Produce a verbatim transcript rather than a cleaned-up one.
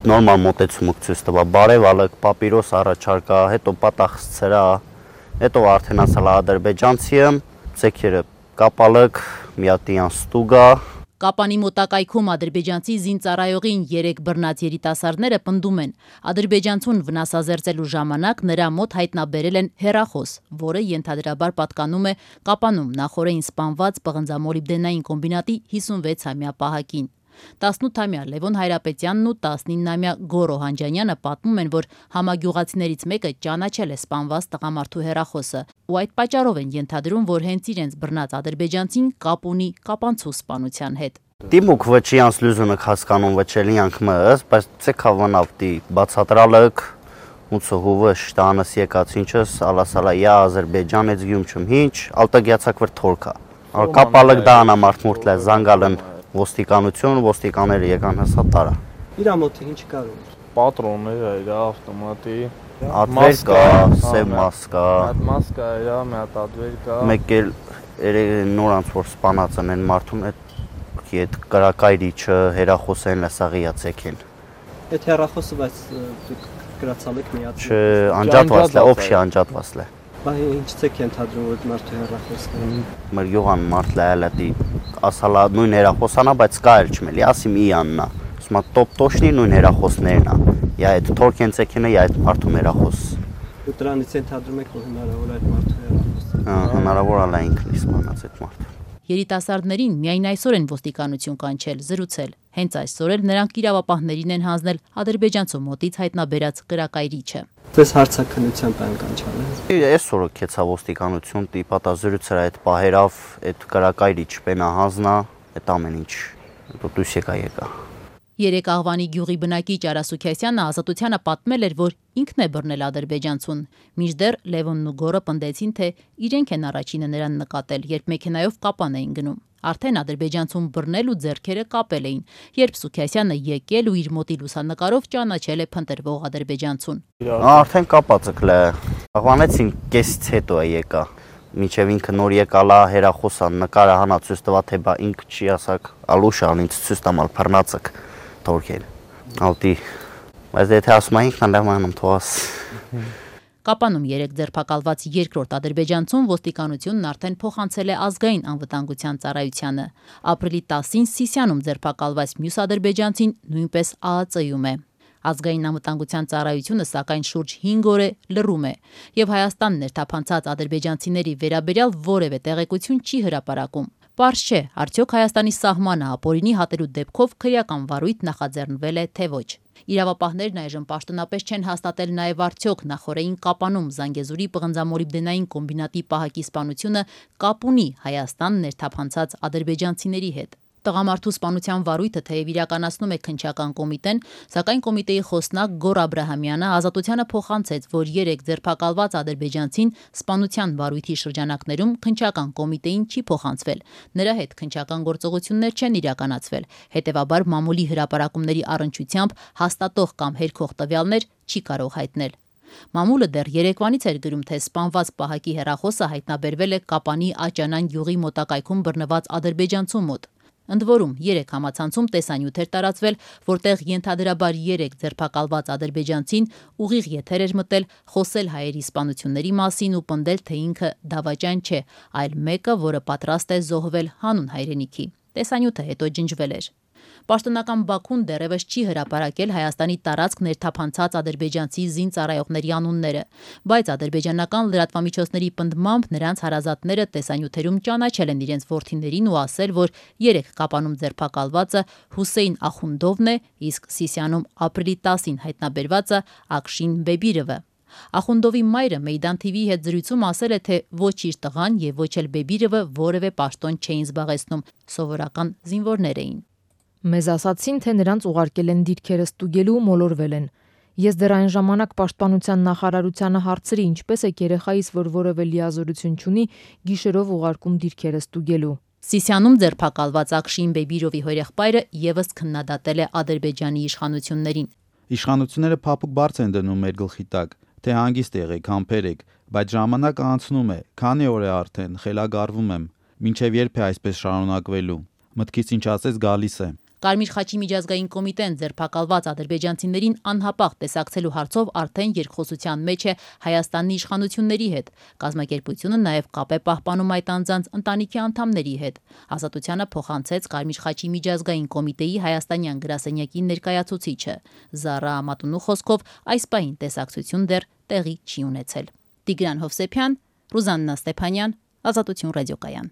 Նորմալ մոտեցումք ցույց տվա, բարևալը, պապիրոս առաջարկա, հետո պատախսցրա, հետո արդեն ասալա ադրբեջանցիը, ցեքերը կապալակ, միատիան ստուգա։ Կապանի մոտակայքում ադրբեջանցի զինծառայողին երեք բռնած երիտասարդները պնդում են. ադրբեջանցուն վնասազերծելու ժամանակ նրա մոտ հայտնաբերել են հեռախոս, որը ենթադրաբար պատկանում է Կապանում նախօրեին սպանված պղնձամոլիբդենային կոմբինատի հիսունվեցամյա պահակին։ տասնութամյա Լևոն Հայրապետյանն ու տասնիննամյա Գոռո Հանջանյանը պատմում են, որ համագյուղացիներից մեկը ճանաչել է սպանված տղամարդու հեռախոսը ու այդ պատճառով են ենթադրում, որ հենց իրենց բռնած ադրբեջանցին կապ ունի կապանցու սպանության հետ։ Դիմուկ վճիանց լուզունը հասկանում վճելիանք մըս, բայց ցեքավանավտի բացատրալակ ուցը հուվը շտանս եկած ինչս ալասալա յա Ադրբեջան էց գյումչում հինչ ալտագյացակ վր թորքա կապալակ դանա մարտմուրտլե զանգալն ոստիկանություն ոստիկանները եկան հսա տարա իրա մոտ ինչ կար պատրոններ իր ավտոմատի ատվեր կա սև մասկա մասկա իր մի հատ ատվեր կա մեկ էլ նորանց որ սպանածն են մարդուն այդ կրակայրիչը հերախոսեն լսաղիա ցեկել այդ հերախոսը բայց գրացալեք միած չէ անջատված է օբշի անջատված է Բայց ինչ ցեք ենթադրում որ մարդու հեռախոսն է։ Մեր յուղան մարդ լայալատի ասալա նույն հեռախոսանա, բայց կա էլ չմելի, ասիմ իաննա։ Ուսմա տոպ տոշնի նույն հեռախոսներն է։ Յա այդ թորքեն ցեքինը, յա այդ մարդու հեռախոս։ Ու դրանից ենթադրում եք որ հնարավոր այդ մարդու հեռախոսը։ Հա, հնարավոր է ինքն իսպանած այդ մարդը։ Երիտասարդներին միայն այսօր են ոստիկանություն կանչել, զրուցել։ Հենց այսօր էլ նրանք իրավապահներին են հանձնել ադրբեջանցու մոտից հայտնաբերած կրակայրիչը։ Դες հարցակնությամբ են կանչալը։ Այսօր կեցա ոստիկանություն տիպատա զրուցել այդ պահերով, այդ կրակայրիչ պենա հանձնա, այդ ամեն ինչ։ Դուս եկա եկա։ Երեք աղվանի գյուղի բնակիչ Արա Սուքիասյանը Ազատությանը պատմել էր, որ ինքն է բռնել ադրբեջանցուն։ Մինչդեռ Լևոնն ու Գոռը պնդեցին, թե իրենք են առաջինը նրան նկատել, երբ մեքենայով Կապան էին գնում։ Արդեն ադրբեջանցուն բռնել ու ձեռքերը կապել էին, երբ Սուքիասյանը եկել ու իր մոտի լուսանկարով ճանաչել է փնտրվող ադրբեջանցուն։ Արդեն կապած ըկլե։ Աղվանեցին կեսից հետո է եկա։ Միջև ինքը նոր եկալա հերախոսան նկարը հանա ցույց տվա թե բա ինքը չի ասակ ալուշան ինձ ցույց տամալ փռնացակ թորքել ալտի բայց եթե ասում այնքան լավանում թողած Կապանում երեք ձերբակալված երկրորդ ադրբեջանցուն ոստիկանությունն արդեն փոխանցել է ազգային անվտանգության ծառայությանը։ Ապրիլի տասին Սիսիանում ձերբակալված մյուս ադրբեջանցին նույնպես ԱԱԾ-ում է։ Ազգային անվտանգության ծառայությունը սակայն շուրջ հինգ օր է լռում է եւ Հայաստան ներթափանցած ադրբեջանցիների վերաբերյալ որևէ տեղեկություն չի հրապարակում։ Պարզ չէ, արդյոք Հայաստանի սահմանը ապօրինի հատելու դեպքով քրեական վարույթ նախաձեռնվել է թե ոչ։ Իրավապահներն այժմ պաշտոնապես չեն հաստատել նաև արդյոք նախօրեին Կապանում Զանգեզուրի պղնձամոլիբդենային կոմբինատի պահակի սպանությունը կապ ունի Հայաստան ներթափանցած ադրբեջանցիների հետ։ Տղամարդու սպանության վարույթը թեև իրականացնում է քննչական կոմիտեն, սակայն կոմիտեի խոսնակ Գոռ Աբրահամյանը Ազատությանը փոխանցեց, որ երեք ձերբակալված ադրբեջանցին սպանության վարույթի շրջանակներում քննչական կոմիտեին չի փոխանցվել։ Նրա հետ քննչական գործողություններ չեն իրականացվել, հետևաբար մամուլի հրապարակումների առնչությամբ հաստատող կամ հերքող տվյալներ չի կարող հայտնել։ Մամուլը դեռ երեկվանից էր գրում, թե սպանված պահակի հեռախոսը հայտնաբերվել է Կապանի Աճանան գյուղի մոտակայքում բռնված ադրբեջանցու մոտ։ Ընդ որում, երեք համացանցում տեսանյութ էր տարածվել, որտեղ ենթադրաբար երեք ձերբակալված ադրբեջանցին ուղիղ եթեր էր մտել, խոսել հայերի սպանությունների մասին ու պնդել, թե ինքը դավաճան չէ, այլ մեկը, որը պատրաստ է զոհվել հանուն հայրենիքի։ Տեսանյութը հետո ջնջվել էր։ Պաշտոնական Բաքուն դեռևս չի հրապարակել Հայաստանի տարածք ներթափանցած ադրբեջանցի զինծառայողների անունները, բայց ադրբեջանական լրատվամիջոցների պնդմամբ նրանց հարազատները տեսանյութերում ճանաչել են իրենց որդիներին ու ասել, որ երեք Կապանում ձերբակալվածը Հուսեյն Ախունդովն է, իսկ Սիսիանում ապրիլի տասին հայտնաբերվածը Ակշին Բեբիրովը։ Ախունդովի մայրը Մեյդան թիվիի հետ զրույցում ասել է, թե ոչ իր տղան եւ ոչ էլ Բեբիրովը որևէ պաշտոն չէին զբաղեցնում, սովորական զինվորներ էին։ Մեզ ասացին, թե նրանց ուղարկել են դիրքերը ստուգելու ու մոլորվել են։ Ես դեռ այն ժամանակ պաշտպանության նախարարությանը հարցրի, ինչպես է երեխայիս, որ որևէ լիազորություն չունի, գիշերով ուղարկում դիրքերը ստուգելու։ Սիսիանում ձերբակալված Ակշին Բեբիրովի հորեղբայրը եւս քննադատել է Ադրբեջանի իշխանություններին։ Իշխանությունները փափուկ բարձ են դնում մեր գլխի տակ, թե հանգիստ եղեք, համբեր եք, բայց ժամանակը անցնում է, քանի օր է արդեն, խելագարվում եմ, մինչև երբ է այսպես շարունակվելու։ Մտքից ինչ ասես գալիս է։ Կարմիր խաչի միջազգային կոմիտեն ձերբակալված ադրբեջանցիներին անհապաղ տեսակցելու հարցով արդեն երկխոսության մեջ է Հայաստանի իշխանությունների հետ։ Կազմակերպությունը նաև կապ է պահպանում այդ անձանց ընտանիքի անդամների հետ։ Ազատությանը փոխանցեց Կարմիր խաչի միջազգային կոմիտեի հայաստանյան գրասենյակի ներկայացուցիչը։ Զարա Ամատունու խոսքով այս պահին տեսակցություն դեռ տեղի չի ունեցել։ Տիգրան Հովսեփյան, Ռուզաննա Ստեփանյան, Ազատություն ռադիոկայան։